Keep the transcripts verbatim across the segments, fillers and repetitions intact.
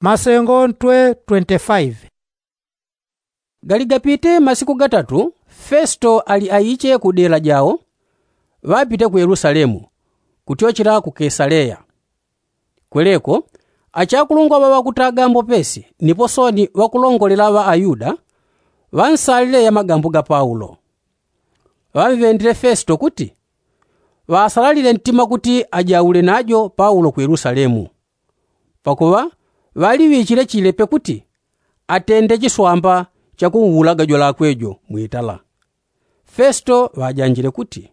Masengo ntwe twenty-five. Gali gapite masiku gatatu, festo ali aiche ku dela jao, ŵapite ku yelusalemu, kutyochela ku kesaleya. Kweleko, achakulungwa ŵa ŵakutaga mbopesi nipo soni ŵakulongolela ŵa ayuda, ŵansalile ya magambo ga paulo. Ŵamvendile festo kuti, ŵasalalile ntima kuti ajaule najo paulo ku yelusalemu. Pakuŵa ŵaliŵichile chilepe kuti atende chiswamba chakunwulaga jwalakwe jo mwitala. Festo ŵajanjile kuti,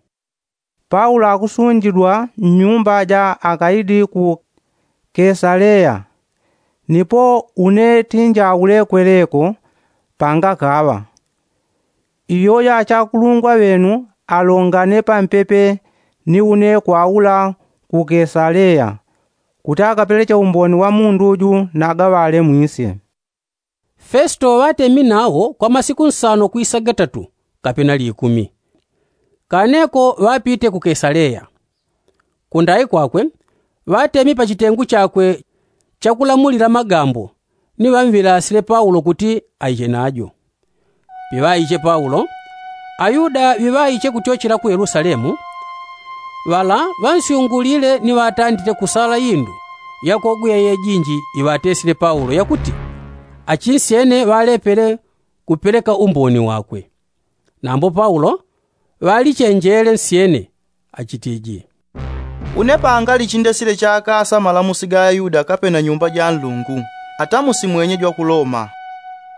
paulo akusunjidwa mnyumba ja akaidi ku kesaleya, nipo une tinjaule kweleko pangakaŵa. Iyoyo achakulungwa ŵenu alongane pampepe ni une kwaula ku kesaleya, kuti akapeleche umboni wa mundu uju nagaŵale mwisye. Festo ŵatemi nawo kwa masiku nsano kwisa gatatu, kapena likumi. Kaneko ŵapite ku kesaleya. Kundai kwakwe, ŵatemi pa chitengu chakwe chakulamulila magambo, ni ŵamvilasile paulo kuti aiche najo. Piŵaiche paulo, ayuda ŵiŵaiche kutyochela ku yelusalemu, ŵala ŵansyungulile ni ŵatandile kusala indu yakogweya yejinji iŵatesile paulo yakuti, achinsyene ŵalepele kupeleka umboni wakwe. Nambo paulo ŵalichenjele nsyene, achitiji, une pangali chindesile chakasa malamusi ga ayuda kapena nyumba ja nlungu, atamusi mwenye jwa ku loma.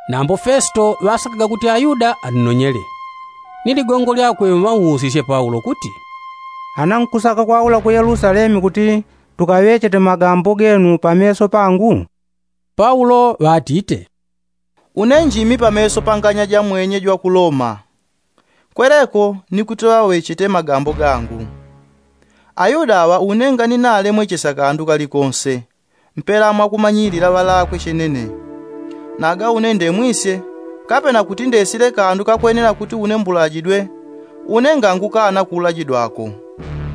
Nambo festo ŵasakaga kuti ayuda annonyele. Ni ligongo lyakwe ŵausisye paulo kuti, ana nkusaka kwaula ku yelusalemu kuti tukaŵechete magambo genu pameso pangu? Paulo ŵatite, une njimi pameso pa nganya ja mwenye jwa ku loma, kweleko ni kuti ŵaŵechete magambo gangu. Ayuda aŵa une nganinale mwechesya kandu kalikonse, mpela mwakumanyilila ŵalakwe chenene. Naga une ndemwisye, kapena kuti ndesile kandu kakwenela kuti une mbulajidwe, une ngangukana kulajidwako.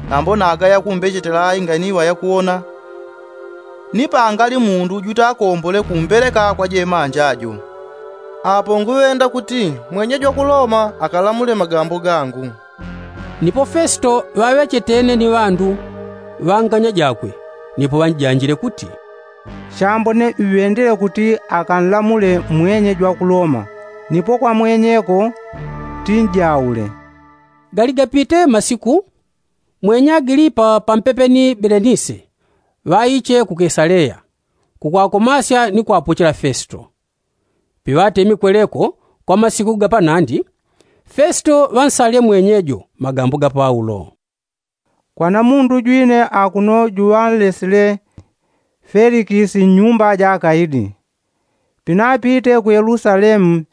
Nambo naga yakumbechetela ai nganiŵa yakuwona, ni pangali mundu juta akombole kumbeleka kwa jemanja jo. Apo nguŵenda kuti mwenye jwa ku loma akalamule magambo gangu. Nipo festo ŵaŵechetene ni ŵandu ŵa nganya jakwe, nipo ŵanjanjile kuti, chambo ne ŵendele kuti akanlamule mwenye jwa ku loma, nipo kwa mwenyeko tinjaule. Gali gapite masiku, mwenye agilipa pampepe ni belenise ŵaiche ku kesaleya, kukwakomasya ni kwapochela festo. Piŵatemi kweleko kwa masiku ga panandi, festo ŵansalile mwenyejo magambo ga paulo. Kwana mundu jwine akuno juŵanlesile felikisi nnyumba ja akaidi. Pinapite ku yelusalemu,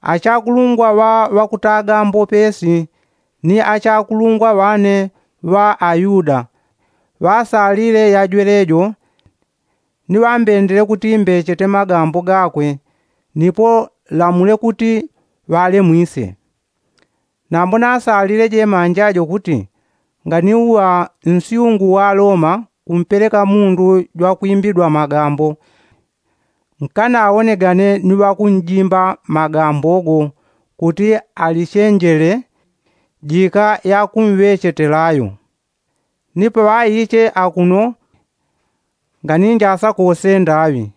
achakulungwa ŵa ŵakutaga mbopesi ni achakulungwa ŵane ŵa ayuda ŵasalile yajwelejo, ni ŵambendele kuti mbechete magambo gakwe, nipo lamule kuti ŵalemwisye. Nambo nasalile jemanja jo kuti nganiuŵa nsyungu wa loma kumpeleka mundu jwakwimbidwa magambo, nkanawonegane ni ŵakunjimba magambo go kuti alichenjele jika yakumŵechetelayo. Ni paŵaiche akuno nganinjasa kose ndaŵi.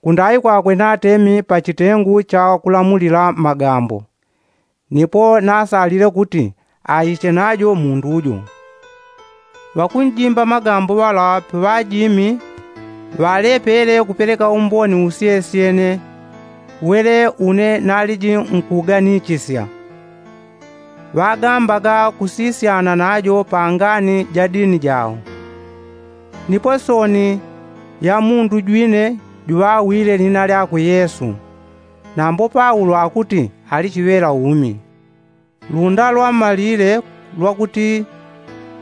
Kundai kwakwe natemi pa chitengu cha kulamulila magambo, nipo nasalile kuti aiche najo mundu jo. Ŵakunjimba magambo ŵala paŵajimi ŵalepele kupeleka umboni usyesyene wele une naliji nkuganichisya. Ŵagambaga kusisyana najo pa ngani ja dini jao. Nipo soni ya mundu jwine juŵawile lina lyakwe yesu. Nambo paulo akuti ali chiŵela umi. Lunda lwamalile lwakuti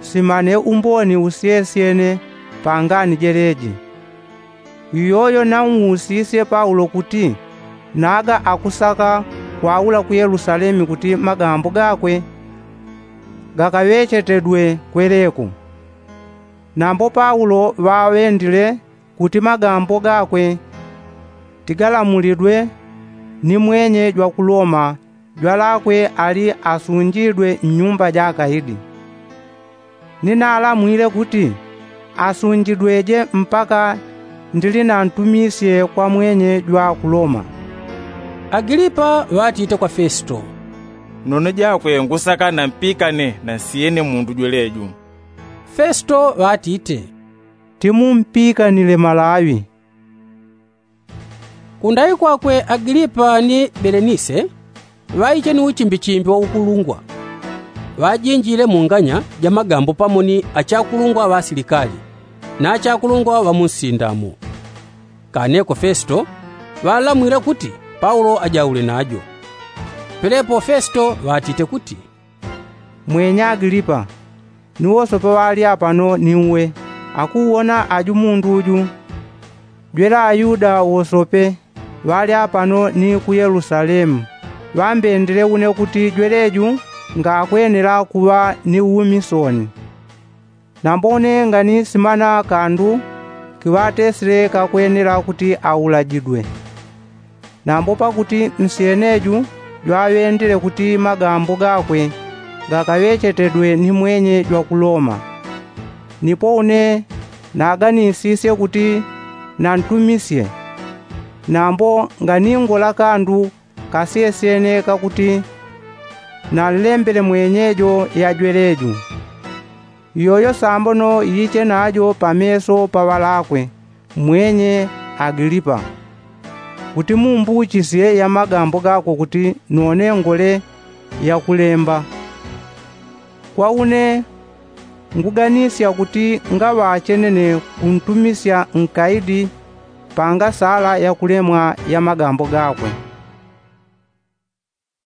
simane umboni usyesyene pa ngani jeleji. Iyoyo nausisye paulo kuti naga akusaka kwaula ku yelusalemi kuti magambo gakwe gakaŵechetedwe kweleko. Nambo paulo ŵaŵendile kuti magambo gakwe tigalamulidwe ni mwenye jwa ku loma jwalakwe ali asunjidwe mnyumba ja akaidi. Ninalamwile kuti asunjidweje mpaka ndilinantumisye kwa mwenye jwa ku loma. Agilipa ŵatite kwa fesito, none jakwe ngusaka nampikane na nsiyene mundu jweleju. Fesito ŵatite, timumpikanile malaŵi. Kundai kwakwe agilipa ni belenise ŵaiche ni uchimbichimbi wa ukulungwa. Ŵajinjile mu nganya ja magambo pamo ni achakulungwa ŵa asilikali na achakulungwa ŵa mu nsindamo. Kaneko fesito ŵalamwile kuti paulo ajaule najo. Pelepo fesito ŵatite kuti, mwenya agilipa, ni wosope ŵali apano ni uwe akuwona aju mundu uju. Jwele ayuda wosope ŵali apano ni ku yelusalemu ŵambendele une kuti jweleju ngakwenela kuŵa ni umi sooni. Nambo une nganisimana kandu kiŵatesile kakwenela kuti aulajidwe. Nambo pakuti nsiyeneju jwaŵendile kuti magambo gakwe gakaŵechetedwe ni mwenye jwa ku loma. Nipo une naganisisye kuti nantumisye. Nambo nganingola kandu kasyesyene kakuti nanlembele mwenyejo yajweleju. Iyoyo sambono yiche najo pameso pa ŵalakwe mwenye agilipa, kuti mumbuchisye ya magambo gakwe kuti none ngole yakulemba. Kwa une nguganisya kuti ngaŵachenene kuntumisya nkaidi pangasala yakulemwa ya magambo gakwe.